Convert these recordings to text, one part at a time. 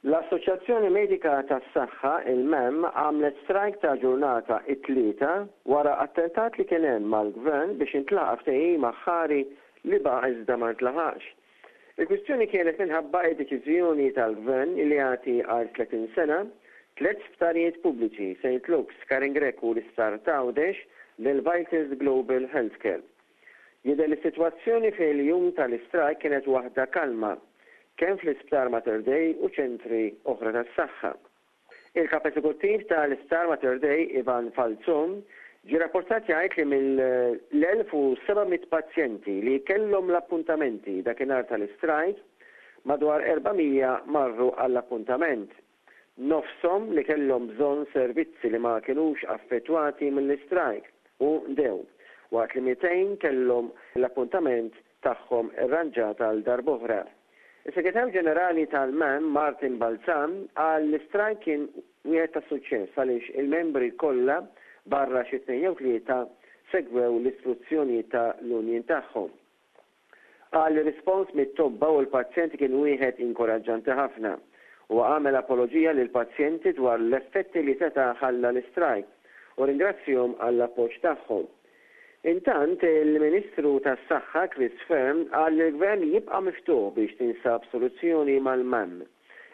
L-Assoċjazzjoni Medika tas-Saħħa, il-MEM, għamlet strajk ta' ġurnata it-Tlieta wara attentat li kien hemm mal-Gvern biex intlaqa' ftehim aħħari li baqa' iżda ma ntlaħaqx. Il-kwistjoni kienet minħabba d-deċiżjoni tal-Gvern li jagħti għal 30 sena, tlett sptarijiet pubbliċi, Saint Luke's, Karin Grech u l-Isptar t'Għawdex, lil Vitals Global Healthcare. Jidher li s-sitwazzjoni fil-jum tal-istrajk kienet waħda kalma, kemm fl-Isptar Mater Dei u ċentri oħra tas-saħħa. Il-Kap Eżekuttiv ta' l-Isptar Mater Dei, Ivan Falzon, ġie rapportat jgħid li mill-1,700 pazjenti li kellhom l-appuntamenti dakinhar tal-istrajk, madwar 400 marru għall-appuntament. Nofshom li kellhom bżonn servizzi li ma kinux affettwati mill-istrajk u ndew, waqt li 200 kellhom l-appuntament tagħhom irranġat għal darb'oħra. Is-Segretarju Ġenerali tal-MAM, Martin Balzan, qal li l-istrajk kien wieħed ta' suċċess għaliex il-membri kollha, barra xi tnejn jew tlieta, segwew l-istruzzjonijiet ta' l-union tagħhom. Qal li r-rispons mit-tobba u l-pazjenti kien wieħed inkoraġġanti ħafna. Huwa għamel apoloġija lill-pazjenti dwar l-effetti li seta' ħalla l-istrajk u rringrazzjhom għall-appoġġ tagħhom. Intant, il-Ministru tas-Saħħa Chris Fearne qal li l-Gvern jibqa' miftuħ biex tinsab soluzzjoni mal-MAM.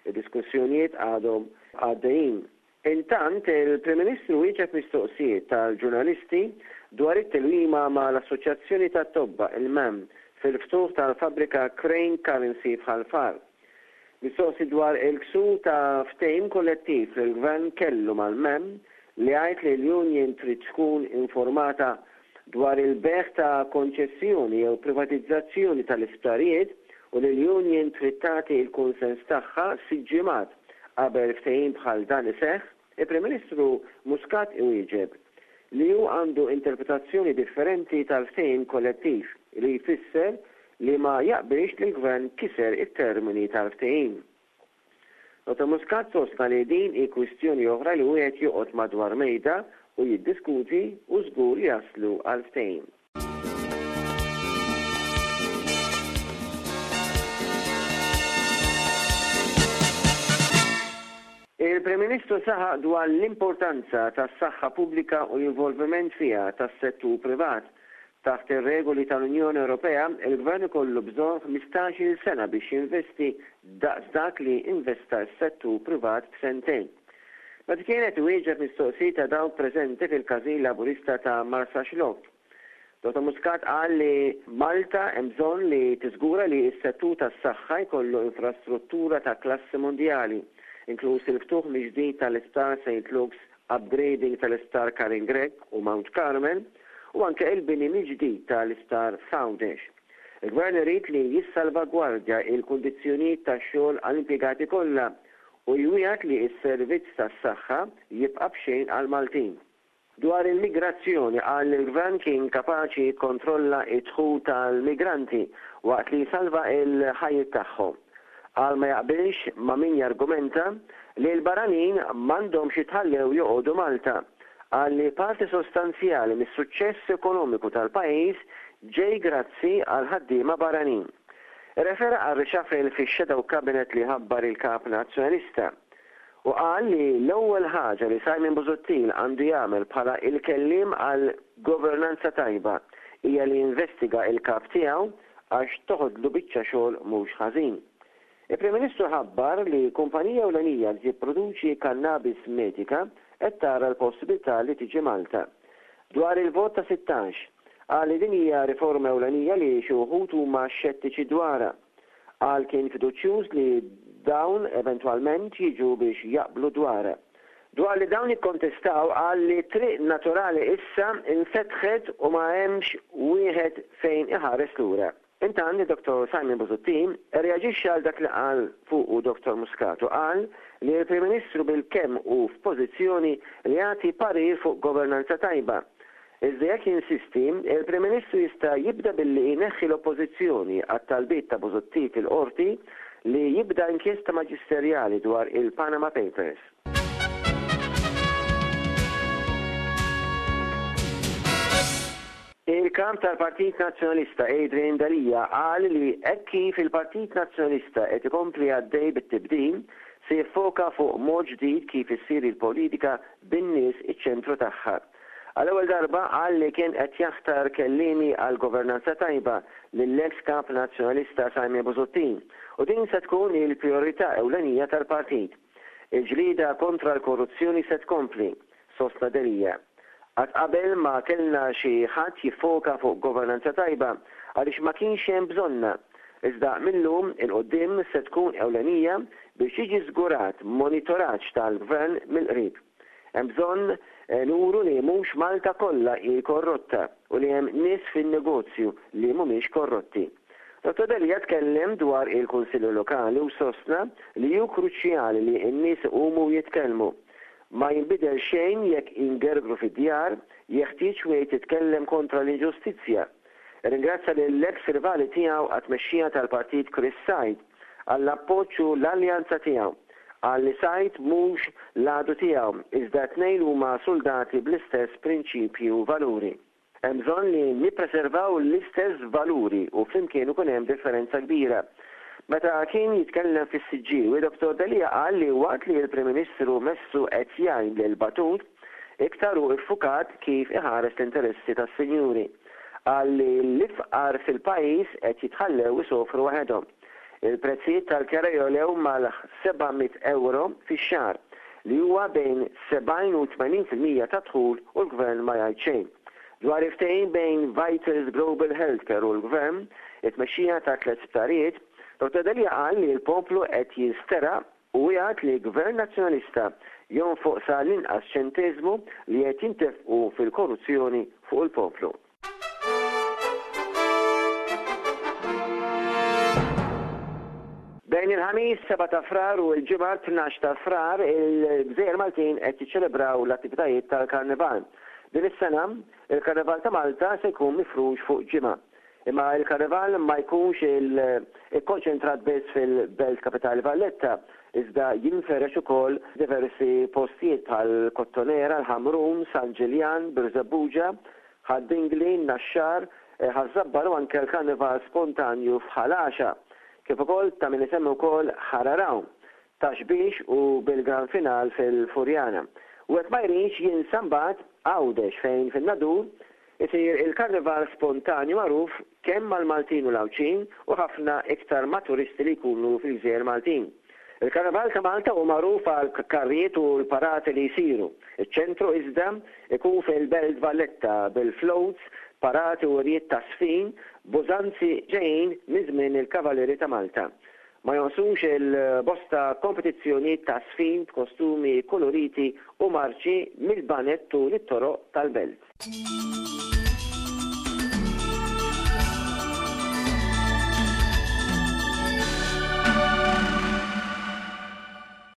Id-diskussjonijiet għadhom għaddejjin. Intant, il-Prim Ministru wieġeb mistoqsijiet tal-ġurnalisti dwar it-tilwima mal-Assoċjazzjoni tat-Tobba, il-MAM, fil-ftuħ tal-fabbrika Crane Currency f'Ħal Far. Mistoqsi dwar il-ksur ta' ftehim kollettiv li l-Gvern kellu mal-MEM li jgħid li l-union trid tkun informata dwar il-bejgħ ta' konċessjoni jew privatizzazzjoni tal-isptarijiet u li l-union trid tagħti l-kunsens tagħha sitt ġimgħat qabel ftehim bħal dan iseħħ, il-Prim Ministru Muscat iwieġeb li hu għandu interpretazzjoni differenti tal-ftehim kollettiv li jfisser li ma jaqbilx li l-Gvern kiser it-termini tal-ftehim. Dottor Muscat sostna li din hi kwistjoni oħra li wieħed joqgħod madwar mejda u jiddiskuti u żgur jaslu għal ftehim. Il-Prim Ministru saħaq dwar l-importanza tas-saħħa pubblika u l-involviment fiha tas-settur privat. Taħt ir-regoli tal-Unjoni Ewropea, il-Gvern ikollu bżonn 15-il sena biex jinvesti daqs dak li investa s-settur privat f'sentejn. Meta kien qed iwieġeb mistoqsijiet ta' dawk preżenti fil-Każin Laburista ta' Marsaxlokk, Dottor Muscat qal li Malta hemm bżonn li tiżgura li s-settur tas-saħħa jkollu infrastruttura ta' klassi mondjali, inkluż il-ftuħ mill-ġdid tal-Isptar Saint Luke's, upgrading tal-Isptar Karin Grech u Mount Carmel u anke il-bini mill-ġdid tal-Isptar f'Għawdex. Il-Gvern irid li jissalvagwardja l-kundizzjonijiet tax-xogħol għall-impjegati kollha u jwiegħed li s-servizz tas-saħħa jibqa' b'xejn għall-Maltin. Dwar il-migrazzjoni qal li l-Gvern kien kapaċi jikkontrolla d-dħul tal-migranti waqt li jsalva l-ħajjiet tagħhom. Qal ma jaqbilx ma' min jargumenta li l-barranin m'għandhomx jitħallew joqogħdu Malta. Qal li parti sostanzjali mis-suċċess ekonomiku tal-pajjiż ġej grazzi għall-ħaddiema barranin. Irrefera għar-reshuffle fix-shadow cabinet li ħabbar il-Kap Nazzjonalista. U qal li l-ewwel ħaġa li Simon Busuttil għandu jagħmel bħala il-kelliem għal governanza tajba hija li jinvestiga il-kap tiegħu għax toħodlu biċċa xogħol mhux ħażin. Il-Prim Ministru ħabbar li kumpanija ewlenija li tipproduċi kannabis medika qed tara l-possibilità li tiġi Malta. Dwar il-vot ta' 16, qal li din hija riforma ewlenija li xi wħud huma xettiċi dwarha. Qal kien fiduċjuż li dawn eventwalment jiġu biex jaqblu dwarha. Dwar li dawn jikkontestaw qal li triq naturali issa infetħet u ma hemmx wieħed fejn iħares lura. Intant Dottor Simon Busuttil irreaġixxa għal dak li qal fuqu Dottor Muscat u qal li l-Prim Ministru bilkemm hu f'pożizzjoni li jagħti parir fuq governanza tajba Iżda jekk jinsisti, il-Prim Ministru jista' jibda billi jneħħi l-Oppożizzjoni għat-talbiet ta' Busuttil fil-Qorti li jibda inkjesta maġisterjali dwar il-Panama Papers. Il-Kap tal-Partit Nazzjonalista Adrian Delia qal li hekk kif il-Partit Nazzjonalista qed ikompli għaddej bit-tibdil, se jiffoka fuq mod ġdid kif issir il-politika bin-nies iċ-ċentru tagħha. Għall-ewwel darba qal li kien qed jaħtar kelliemi għall-governanza tajba lill-eks Kap Nazzjonalista Simon Busuttil u din se tkun il-prijorità ewlenija tal-partit. Il-ġlieda kontra l-korruzzjoni se tkompli, sostna Delia. Qatt qabel ma kellna xi ħadd jiffoka fuq governanza tajba għaliex ma kienx hemm bżonnha. Iżda mil-lum 'il quddiem se tkun ewlenija biex jiġi żgurat monitoraġġ tal-Gvern mill-qrib. Hemm bżonn nuru li mhux Malta kollha hi korrotta u li hemm nies fin-negozju li mhumiex korrotti. Dottor Delia tkellem dwar il-Kunsilli Lokali u sostna li hu kruċjali li n-nies iqumu u jitkellmu. Ma jinbidel xejn jekk ingergru fid-djar, jeħtieġ wieħed jitkellem kontra l-inġustizzja. Irringrazzja lill-eks rivali tiegħu għat-tmexxija tal-partit Chris Said għall-appoġġ u l-alleanza tiegħu. Qal li Said mhux l-għadu tiegħu iżda t-tnejn huma suldati bl-istess prinċipji u valuri. Hemm bżonn li nippreservaw l-istess valuri u flimkien ikun hemm differenza kbira. Meta kien jitkellem fis-Siġġiewi, Dottor Delia qal li waqt li l-Prim Ministru messu qed jgħin lil Batut, iktar hu ffukat kif iħares l-interessi tas-sinjuri. Qal li l-ifqar fil-pajjiż qed jitħallew isofru waħedhom. Il-prezzijiet tal-kera jogħlew mal-700 ewro fix-xahar, li huwa bejn 70 u 80% tad-dħul u l-Gvern ma jgħid xejn. Dwar il-ftehim bejn Vitals Global Healthcare u l-Gvern, it-tmexxija ta' tlett sptarijiet, Dottor Delia qal li l-poplu qed jinsteraq u wiegħed li Gvern Nazzjonalista jonfoq sa l-inqas ċenteżmu li qed jintefqu fil-korruzzjoni fuq il-poplu. Bejn il-Ħamis 7 ta' Frar u l-Ġimgħa 12 ta' Frar, il-Gżejjer Maltin qed jiċċelebraw l-attivitajiet tal-Karnival. Din is-sena, il-Karnival ta' Malta se jkun mifrux fuq ġimgħa. Imma l-Karnival ma jkunx ikkonċentrat biss fil-belt kapitali Valletta, iżda jinferex ukoll f'diversi postijiet bħal Kottonera, l-Ħamrun, San Ġiljan, Birżebbuġa, Ħad-Dingli, Naxxar, Ħaż-Żabbar u anke l-Karnival spontanju f'Ħal Għaxaq, kif ukoll ta' min isemmi wkoll Ħal Għargħur, Ta' Xbiex u bil-Gran Final fil-Furjana. Wieħed ma jridx jinsa mbagħad Għawdex fejn fin-Nadur isir il-Karnival spontanju magħruf kemm mal-Maltin u l-Għawdxin u ħafna iktar ma' turisti li jkunu fil-gżejjer Maltin. Il-Karnival ta' Malta hu magħruf għall-karrijiet u l-parati li jsiru. Iċ-ċentru iżda jkun fil-Belt Valletta bil-floats, parati u wirjiet ta' żfin b'użanzi ġejjin minn żmien il-Kavalieri ta' Malta. Ma jonqsux il-bosta kompetizzjonijiet ta' żfin b'kostumi kkuluriti u marċi mill-baned tul it-toroq tal-belt.